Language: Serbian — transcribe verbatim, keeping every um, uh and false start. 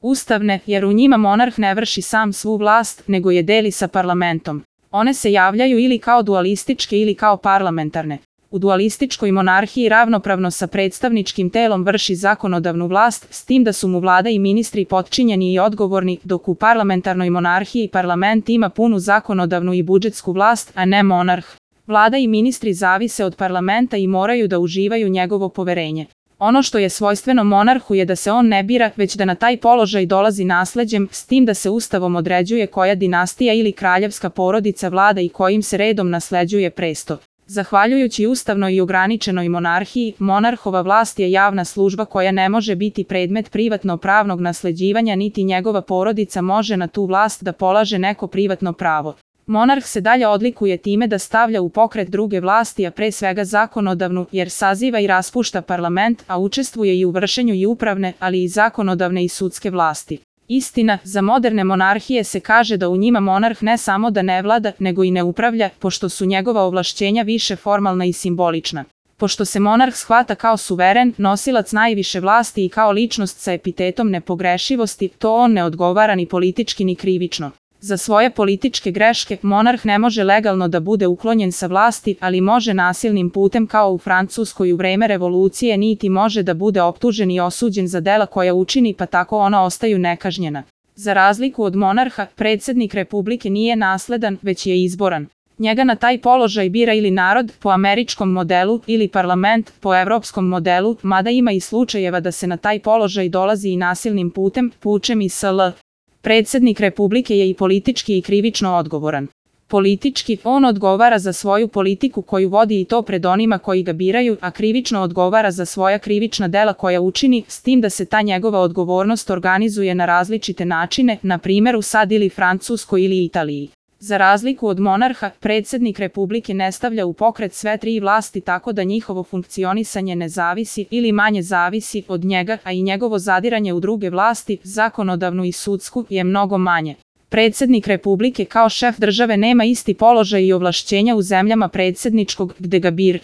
Ustavne, jer u njima monarh ne vrši sam svu vlast, nego je deli sa parlamentom. One se javljaju ili kao dualističke ili kao parlamentarne. U dualističkoj monarhiji ravnopravno sa predstavničkim telom vrši zakonodavnu vlast, s tim da su mu vlada i ministri potčinjeni i odgovorni, dok u parlamentarnoj monarhiji parlament ima punu zakonodavnu i budžetsku vlast, a ne monarh. Vlada i ministri zavise od parlamenta i moraju da uživaju njegovo poverenje. Ono što je svojstveno monarhu je da se on ne bira, već da na taj položaj dolazi nasleđem, s tim da se ustavom određuje koja dinastija ili kraljevska porodica vlada i kojim se redom nasleđuje presto. Zahvaljujući ustavnoj i ograničenoj monarhiji, monarhova vlast je javna služba koja ne može biti predmet privatno-pravnog nasleđivanja, niti njegova porodica može na tu vlast da polaže neko privatno pravo. Monarh se dalje odlikuje time da stavlja u pokret druge vlasti, a pre svega zakonodavnu, jer saziva i raspušta parlament, a učestvuje i u vršenju i upravne, ali i zakonodavne i sudske vlasti. Istina, za moderne monarhije se kaže da u njima monarh ne samo da ne vlada, nego i ne upravlja, pošto su njegova ovlašćenja više formalna i simbolična. Pošto se monarh shvata kao suveren, nosilac najviše vlasti i kao ličnost sa epitetom nepogrešivosti, to on ne odgovara ni politički ni krivično. Za svoje političke greške, monarh ne može legalno da bude uklonjen sa vlasti, ali može nasilnim putem kao u Francuskoj u vreme revolucije, niti može da bude optužen i osuđen za dela koja učini, pa tako ona ostaju nekažnjena. Za razliku od monarha, predsjednik republike nije nasledan, već je izboran. Njega na taj položaj bira ili narod, po američkom modelu, ili parlament, po evropskom modelu, mada ima i slučajeva da se na taj položaj dolazi i nasilnim putem, pučem i sl. Predsjednik republike je i politički i krivično odgovoran. Politički, on odgovara za svoju politiku koju vodi i to pred onima koji ga biraju, a krivično odgovara za svoja krivična dela koja učini, s tim da se ta njegova odgovornost organizuje na različite načine, na primjer u SAD ili Francuskoj ili Italiji. Za razliku od monarha, predsjednik republike ne stavlja u pokret sve tri vlasti tako da njihovo funkcionisanje ne zavisi ili manje zavisi od njega, a i njegovo zadiranje u druge vlasti, zakonodavnu i sudsku, je mnogo manje. Predsjednik republike kao šef države nema isti položaj i ovlašćenja u zemljama predsjedničkog, gde ga bir.